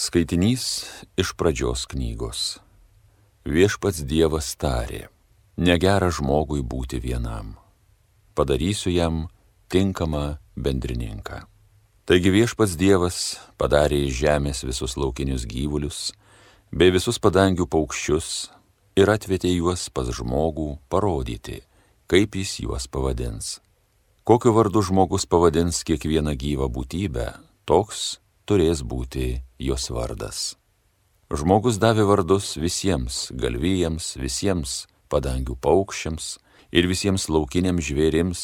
Skaitinys iš pradžios knygos. Viešpats Dievas tarė, negera žmogui būti vienam. Padarysiu jam tinkamą bendrininką. Taigi viešpats Dievas padarė iš žemės visus laukinius gyvulius, bei visus padangių paukščius ir atvedė juos pas žmogų parodyti, kaip jis juos pavadins. Kokiu vardu žmogus pavadins kiekvieną gyvą būtybę, toks turės būti jos vardas. Žmogus davė vardus visiems galvijams, visiems padangių paukščiams ir visiems laukiniams žvėrims,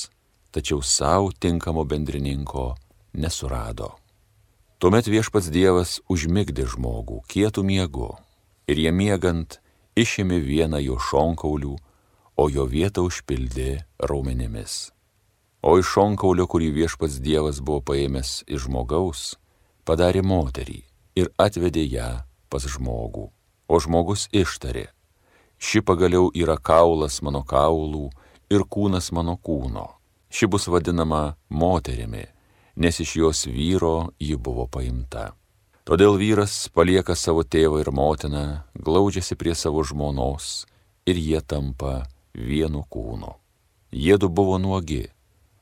tačiau savo tinkamo bendrininko nesurado. Tuomet viešpats Dievas užmigdė žmogų kietų miegu ir jie miegant išėmė vieną jo šonkaulių, o jo vietą užpildė raumenimis. O iš šonkaulio, kurį viešpats Dievas buvo paėmęs iš žmogaus, padarė moterį ir atvedė ją pas žmogų. O žmogus ištarė, ši pagaliau yra kaulas mano kaulų ir kūnas mano kūno. Ši bus vadinama moterimi, nes iš jos vyro ji buvo paimta. Todėl vyras palieka savo tėvą ir motiną, glaudžiasi prie savo žmonos ir jie tampa vienu kūnu. Jiedu buvo nuogi,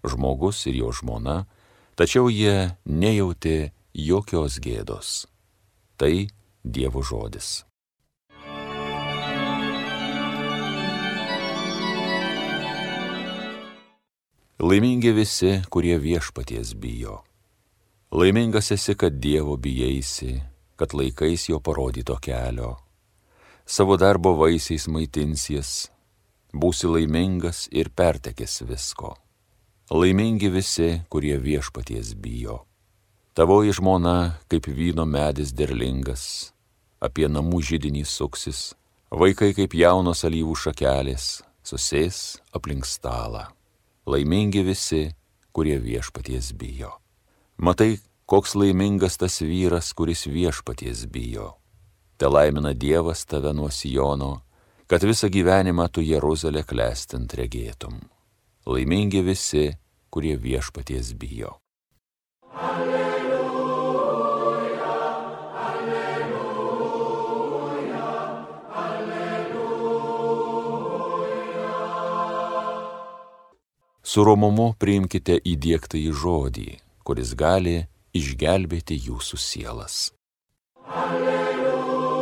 žmogus ir jo žmona, tačiau jie nejautė jokios gėdos. Tai Dievo žodis. Laimingi visi, kurie viešpaties bijo. Laimingas esi, kad Dievo bijaisi, kad laikais jo parodyto kelio. Savo darbo vaisiais maitinsies, būsi laimingas ir pertekės visko. Laimingi visi, kurie viešpaties bijo. Tavoji žmona kaip vyno medis derlingas, apie namų židinį suksis, vaikai kaip jaunos alyvų šakelės, susės aplink stalą. Laimingi visi, kurie viešpaties bijo. Matai, koks laimingas tas vyras, kuris viešpaties bijo. Te laimina Dievas tave nuo Siono, kad visą gyvenimą tu Jeruzalę klestint regėtum. Laimingi visi, kurie viešpaties bijo. Su romumu priimkite įdiegtąjį žodį, kuris gali išgelbėti jūsų sielas. Alleluja,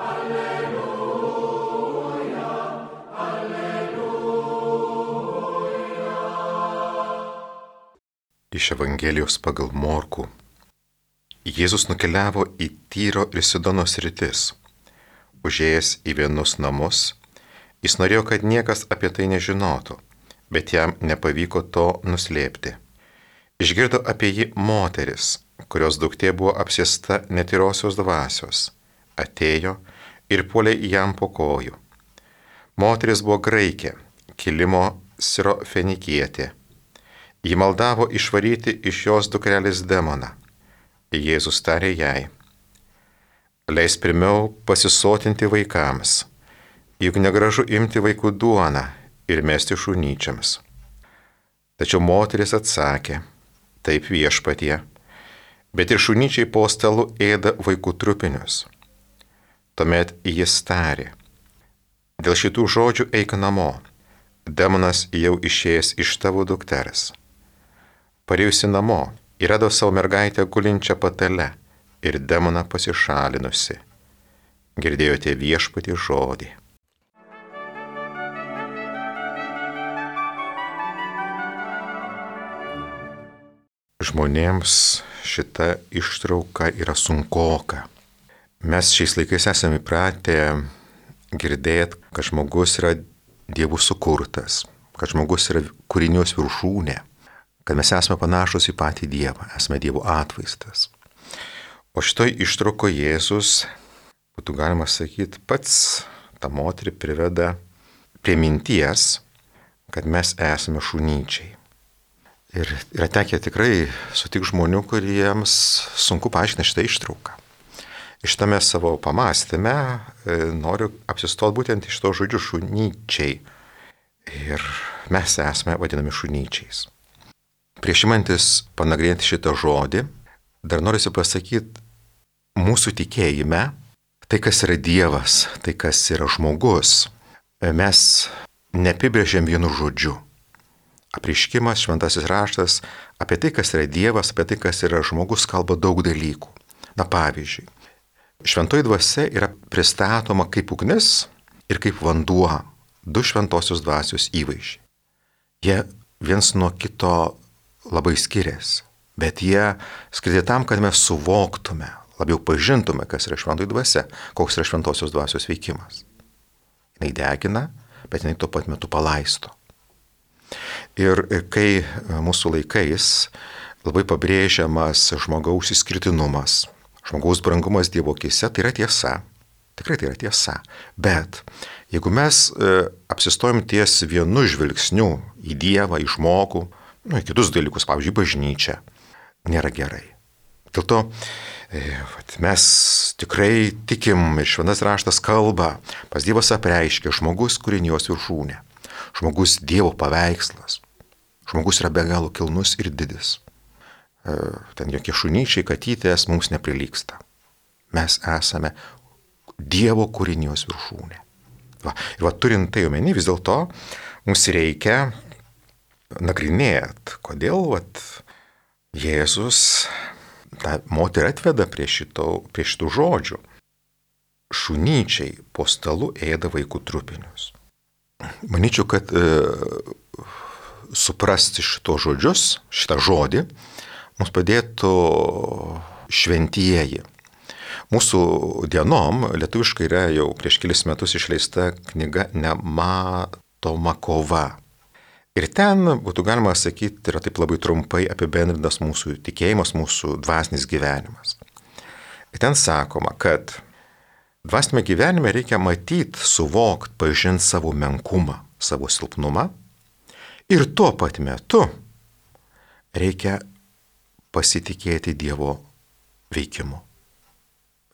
alleluja, alleluja. Iš Evangelijos pagal Morkų. Jėzus nukeliavo į Tyro ir Sidono sritis. Užėjęs į vienus namus, jis norėjo, kad niekas apie tai nežinotų, bet jam nepavyko to nuslėpti. Išgirdo apie jį moteris, kurios duktė buvo apsėsta netyrosios dvasios, atėjo ir puolė jam po kojų. Moteris buvo graikė, kilimo sirofenikietė. Ji maldavo išvaryti iš jos dukrelės demoną. Jėzus tarė jai, leis pirmiau pasisotinti vaikams, juk negražu imti vaikų duoną ir mesti šunyčiams. Tačiau moteris atsakė, taip viešpatie, bet ir šunyčiai po stalu ėda vaikų trupinius. Tuomet jis tarė, dėl šitų žodžių eik namo, demonas jau išėjęs iš tavo dukters. Parėjusi namo, įrado savo mergaitę gulinčią patale ir demoną pasišalinusi. Girdėjote viešpatį žodį. Žmonėms šita ištrauka yra sunkoka. Mes šiais laikais esame įpratę girdėti, kad žmogus yra Dievų sukurtas, kad žmogus yra kūrinijos viršūnė, kad mes esame panašus į patį Dievą, esame Dievo atvaizdas. O šitoj ištrauko Jėzus, būtų galima sakyti, pats tą moterį priveda prie minties, kad mes esame šunyčiai. Ir yra tekę tikrai sutikti žmonių, kuriems sunku paaiškinti šitą ištrauką. Šitame savo pamąstyme noriu apsistoti būtent iš to žodžių šunyčiai. Ir mes esame vadinami šunyčiais. Prieš imantis panagrinėti šitą žodį, dar noriu pasakyti, mūsų tikėjime, tai kas yra Dievas, tai kas yra žmogus, mes neapibrėžiam vienu žodžiu. Apreiškimas, šventasis raštas apie tai, kas yra Dievas, apie tai, kas yra žmogus, kalba daug dalykų. Na pavyzdžiui, šventoji dvasia yra pristatoma kaip ugnis ir kaip vanduo, du šventosios dvasios įvaizdžiai. Jie viens nuo kito labai skiriasi, bet jie skirti tam, kad mes suvoktume, labiau pažintume, kas yra šventoji dvasia, koks yra šventosios dvasios veikimas. Jis degina, bet jinai tuo pat metu palaisto. Ir kai mūsų laikais labai pabrėžiamas žmogaus išskirtinumas, žmogaus brangumas Dievo akyse, tai yra tiesa. Tikrai tai yra tiesa. Bet jeigu mes apsistojom ties vienu žvilgsniu į Dievą, į žmogų, į kitus dalykus, pavyzdžiui, bažnyčią, nėra gerai. Dėl to mes tikrai tikim ir šventas raštas kalba, pas Dievas apreiškia žmogus kūrinijos viršūnė, žmogus Dievo paveikslas, žmogus yra be galo kilnus ir didis. Ten jokie šunyčiai, katytės mums neprilygsta. Mes esame Dievo kūrinijos viršūnė. Ir turint tai omeny, vis dėlto mums reikia nagrinėti, kodėl Jėzus tą moterį atveda prie šitų žodžių. Šunyčiai po stalu ėda vaikų trupinius. Manyčiau, kad suprasti šitos žodžius, šitą žodį, mums padėtų šventieji. Mūsų dienom lietuviškai yra jau prieš kelis metus išleista knyga Nematoma kova. Ir ten būtų galima sakyti, yra taip labai trumpai apibendrintas mūsų tikėjimas, mūsų dvasinis gyvenimas. Ir ten sakoma, kad dvasinėme gyvenime reikia matyti, suvokti, pažinti savo menkumą, savo silpnumą. Ir tuo pat metu reikia pasitikėti Dievo veikimu.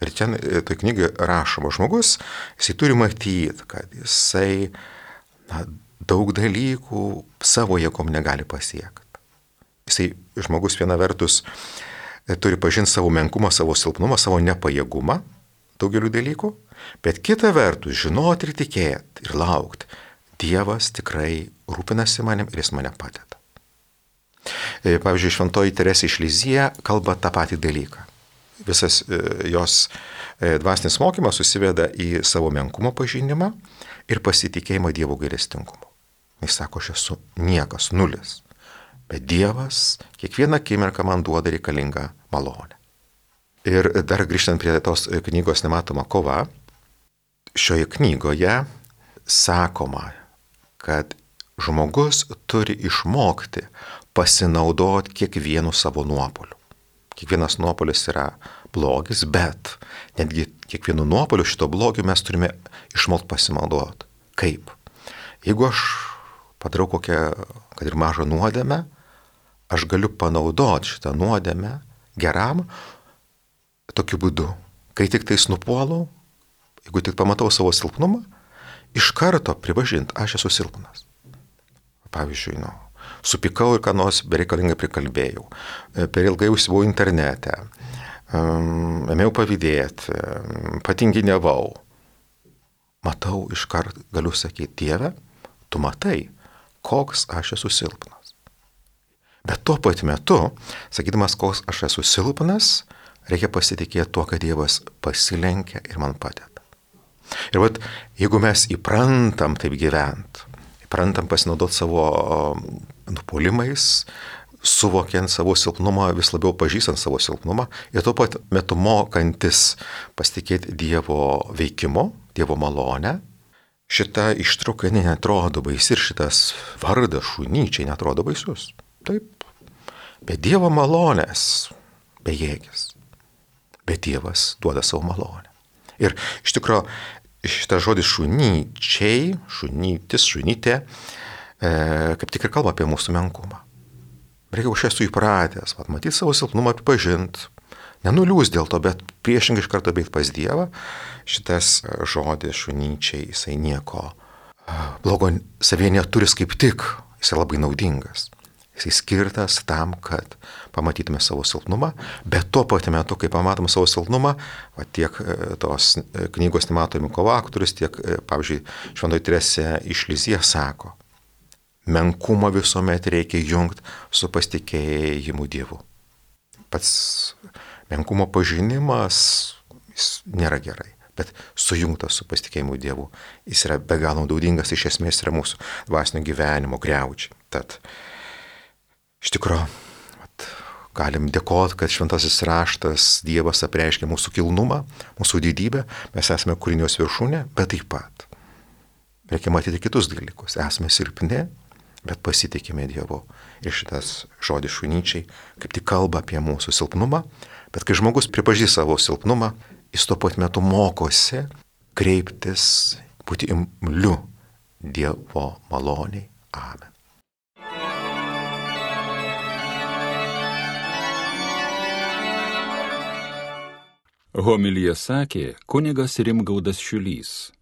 Ir čia toj knygai rašoma, žmogus, jisai turi matyti, kad jisai daug dalykų savo jėgom negali pasiekti. Jisai, žmogus viena vertus, turi pažinti savo menkumą, savo silpnumą, savo nepajėgumą daugeliu dalykų, bet kita vertus žinoti ir tikėti ir laukti. Dievas tikrai rūpinasi manim ir jis mane padeda. Pavyzdžiui, šventoji Teresė iš Lizija kalba tą patį dalyką. Visas jos dvasinis mokymas susiveda į savo menkumo pažinimą ir pasitikėjimą Dievo gailestingumu. Jis sako, aš esu niekas, nulis, bet Dievas kiekvieną akimirką man duoda reikalingą malonę. Ir dar grįžtant prie tos knygos Nematoma kova, šioje knygoje sakoma, kad žmogus turi išmokti pasinaudoti kiekvienu savo nuopoliu. Kiekvienas nuopolis yra blogis, bet netgi kiekvienu nuopoliu šito blogio mes turime išmokti pasinaudoti. Kaip? Jeigu aš padarau kokią, kad ir mažą nuodėmę, aš galiu panaudoti šitą nuodėmę geram tokiu būdu. Kai tik tais nupuolau, jeigu tik pamatau savo silpnumą, iš karto pripažinti, aš esu silpnas. Pavyzdžiui, supykau ir ką nors bereikalingai prikalbėjau, per ilgai užsibuvau internete, ėmiau pavydėti, patinginiavau. Matau, iškart galiu sakyti, Dieve, tu matai, koks aš esu silpnas. Bet tuo pat metu, sakydamas, koks aš esu silpnas, reikia pasitikėti tuo, kad Dievas pasilenkia ir man padeda. Ir jeigu mes įprantam taip gyventi, įprantam pasinaudoti savo nupuolimais, suvokiant savo silpnumą, vis labiau pažįstant savo silpnumą ir tuo pat metu mokantis pasitikėti Dievo veikimu, Dievo malonę, šita ištrauka netrodo baisi ir šitas vardas šunyčiai netrodo baisus. Taip, bet Dievo malonės bejėgis, bet Dievas duoda savo malonę. Ir iš tikrųjų šitas žodis šunyčiai, šunytis, šunytė, kaip tik ir kalba apie mūsų menkumą. Reikia, aš esu įpratęs, matyti savo silpnumą, pripažinti, nenuliūs dėl to, bet priešingai iš karto bėgti pas Dievą. Šitas žodis šunyčiai, jisai nieko blogo savyje neturi, kaip tik, jisai labai naudingas. Jisai skirtas tam, kad pamatytume savo silpnumą, bet tuo pat metu, kai pamatome savo silpnumą, tiek tos knygos Nematomi koaktorius, tiek, pavyzdžiui, Šventoji Teresė iš Lizijos sako, menkumą visuomet reikia jungti su pasitikėjimu Dievu. Pats menkumo pažinimas jis nėra gerai, bet sujungtas su pasitikėjimu Dievu. Jis yra be galo naudingas, iš esmės yra mūsų dvasinio gyvenimo griaučiai. Tad iš tikrųjų galim dėkoti, kad šventasis raštas Dievas apreiškia mūsų kilnumą, mūsų didybę, mes esame kūrinijos viršūnė, bet taip pat reikia matyti kitus dalykus. Esame silpni, bet pasitikime Dievu. Ir šitas žodis šunyčiai kaip tik kalba apie mūsų silpnumą, bet kai žmogus pripažįsta savo silpnumą, jis tuo pat metu mokosi kreiptis, būti imliu Dievo maloniai. Amen. Homiliją sakė kunigas Rimgaudas Šiulys.